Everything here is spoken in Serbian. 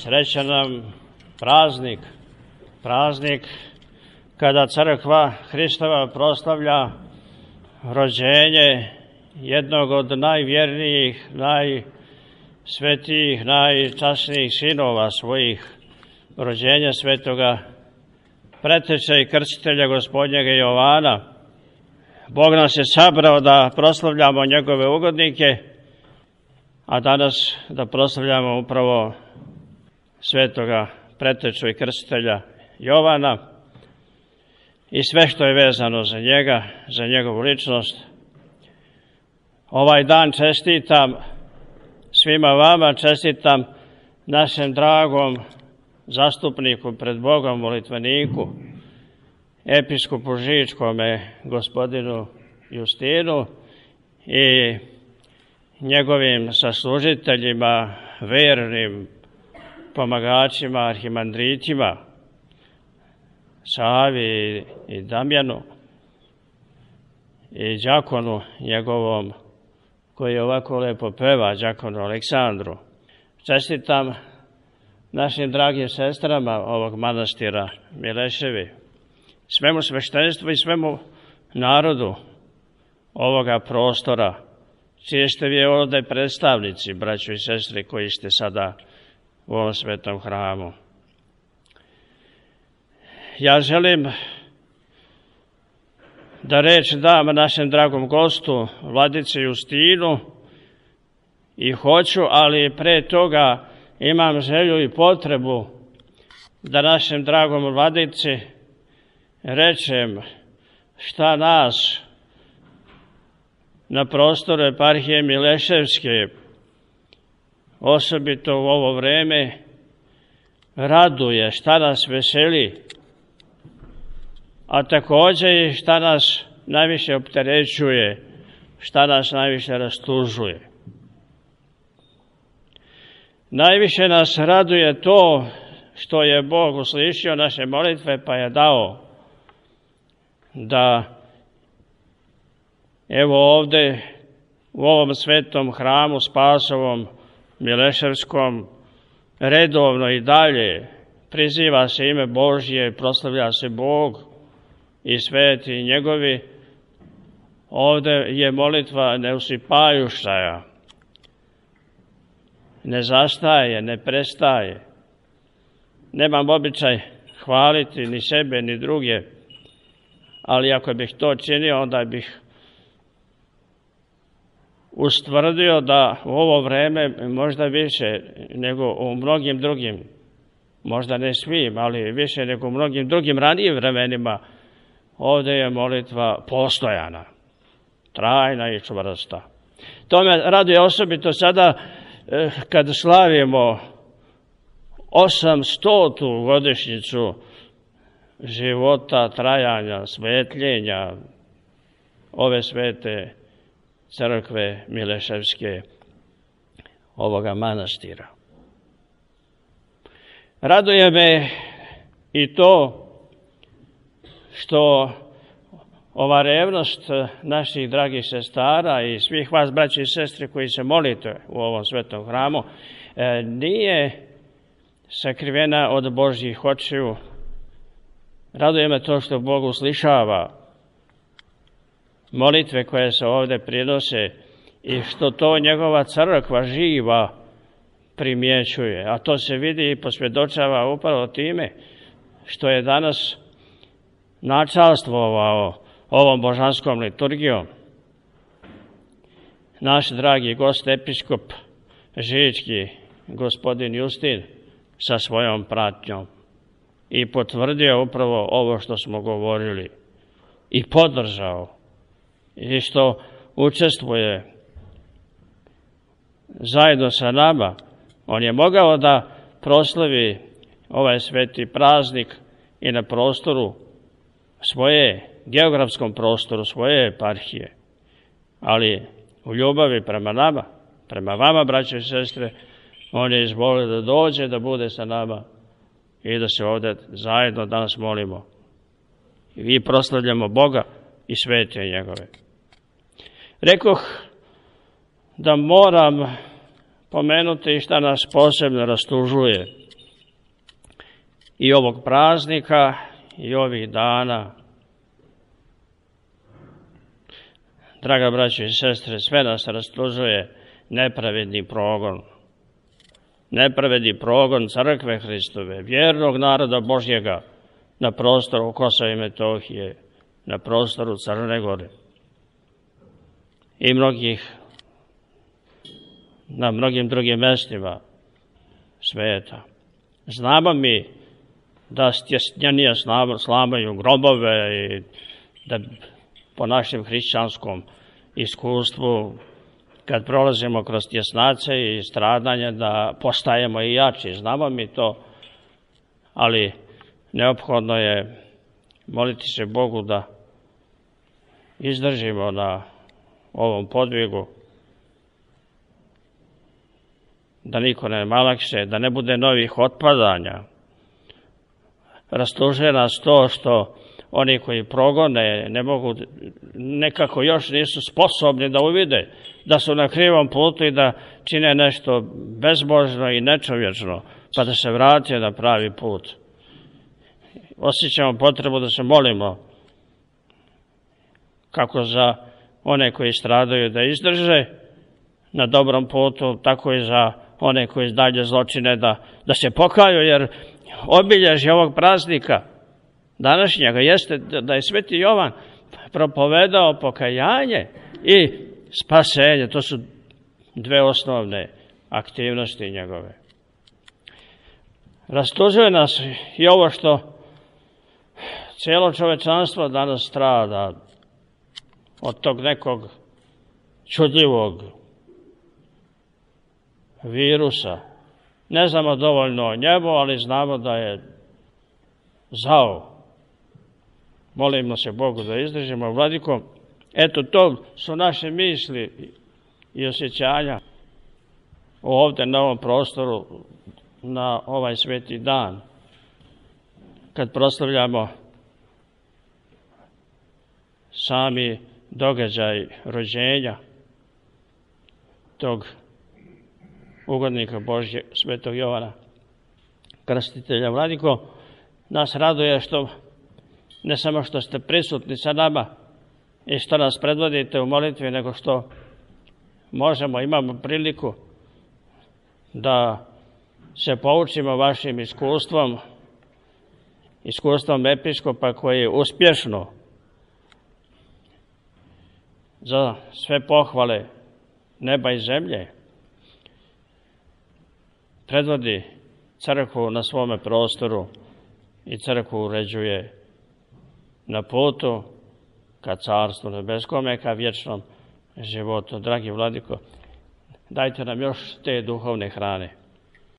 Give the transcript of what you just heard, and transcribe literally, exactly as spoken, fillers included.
Srećan nam praznik, praznik kada crkva Hristova proslavlja rođenje jednog od najvjernijih, najsvetijih, najčasnijih sinova svojih, rođenja svetoga preteča i krstitelja Gospodnjega Jovana. Bog nas je sabrao da proslavljamo njegove ugodnike, a danas da proslavljamo upravo svetoga preteču i krstitelja Jovana i sve što je vezano za njega, za njegovu ličnost. Ovaj dan čestitam svima vama, čestitam našem dragom zastupniku pred Bogom, molitveniku, episkopu Žičkome, gospodinu Justinu i njegovim saslužiteljima, vernim pomagačima, arhimandritima, Savi i Damjanu i đakonu njegovom koji ovako lepo peva, đakonu Aleksandru. Čestitam našim dragim sestrama ovog manastira Mileševi, svemu sveštenstvu i svemu narodu ovoga prostora, čiji ste vi ovdje predstavnici, braćo i sestre, koji ste sada u ovom svetom hramu. Ja želim da reč dam našem dragom gostu, vladici Justinu, i hoću, ali pre toga imam želju i potrebu da našem dragom vladici rečem šta nas na prostoru eparhije Mileševske, osobito u ovo vreme, raduje, šta nas veseli, a također i šta nas najviše opterećuje, šta nas najviše rastužuje. Najviše nas raduje to što je Bog uslišio naše molitve, pa je dao da evo ovdje u ovom svetom hramu Spasovom Mileševskom redovno i dalje priziva se ime Božje, proslavlja se Bog i sveti njegovi. Ovdje je molitva neusipajuća, ne zastaje, ne prestaje. Nemam običaj hvaliti ni sebe ni druge, ali ako bih to činio, onda bih ustvrdio da u ovo vreme možda više nego u mnogim drugim, možda ne svim, ali više nego u mnogim drugim ranijim vremenima, ovdje je molitva postojana, trajna i čvrsta. To me raduje osobito sada kad slavimo osamstotu godišnjicu života, trajanja, svetljenja ove svete crkve Mileševske, ovoga manastira. Raduje me i to što ova revnost naših dragih sestara i svih vas, braći i sestre, koji se molite u ovom svetom hramu, nije sakrivena od Božjih očiju. Raduje me to što Bog uslišava molitve koje se ovdje prinose i što to njegova crkva živa primjećuje. A to se vidi i posvjedočava upravo time što je danas načalstvovao ovom božanskom liturgijom naš dragi gost, episkop Žički, gospodin Justin, sa svojom pratnjom i potvrdio upravo ovo što smo govorili i podržao i što učestvuje zajedno sa nama. On je mogao da proslavi ovaj sveti praznik i na prostoru svoje, geografskom prostoru svoje eparhije, ali u ljubavi prema nama, prema vama, braće i sestre, on je izvolio da dođe, da bude sa nama i da se ovdje zajedno danas molimo i proslavljamo Boga i svete njegove. Rekoh da moram pomenuti šta nas posebno rastužuje i ovog praznika i ovih dana. Draga braćo i sestre, sve nas rastužuje nepravedni progon. Nepravedni progon crkve Hristove, vjernog naroda Božjega na prostoru Kosova i Metohije, na prostoru Crne Gore i mnogih, na mnogim drugim mestima sveta. Znamo mi da stjesnjenije slamaju grobove i da po našem hrišćanskom iskustvu, kad prolazimo kroz tjesnace i stradanje, da postajemo i jači. Znamo mi to, ali neophodno je moliti se Bogu da izdržimo na ovom podvigu, da niko ne malakše, da ne bude novih otpadanja. Rastužuje nas to što oni koji progone ne mogu, nekako još nisu sposobni da uvide da su na krivom putu i da čine nešto bezbožno i nečovječno, pa da se vrate na pravi put. Osjećamo potrebu da se molimo kako za one koji stradaju da izdrže na dobrom putu, tako i za one koji dalje zločine da, da se pokaju, jer obilježje ovog praznika današnjega jeste da je Sveti Jovan propovedao pokajanje i spasenje. To su dve osnovne aktivnosti njegove. Rastužuje nas i ovo što cijelo čovečanstvo danas strada od tog nekog čudljivog virusa. Ne znamo dovoljno o njemu, ali znamo da je zao. Molimo se Bogu da izdržimo. Vladiko, eto, to su naše misli i osjećanja ovdje na ovom prostoru, na ovaj sveti dan, kad proslavljamo sami događaj rođenja tog ugodnika Božje, Svetog Jovana Krstitelja. Vladiko, nas raduje što ne samo što ste prisutni sa nama i što nas predvodite u molitvi, nego što možemo, imamo priliku da se poučimo vašim iskustvom, iskustvom episkopa koji je uspješno za sve pohvale neba i zemlje predvodi crkvu na svome prostoru i crkvu uređuje na putu ka carstvu nebeskome, ka vječnom životu. Dragi Vladiko, dajte nam još te duhovne hrane.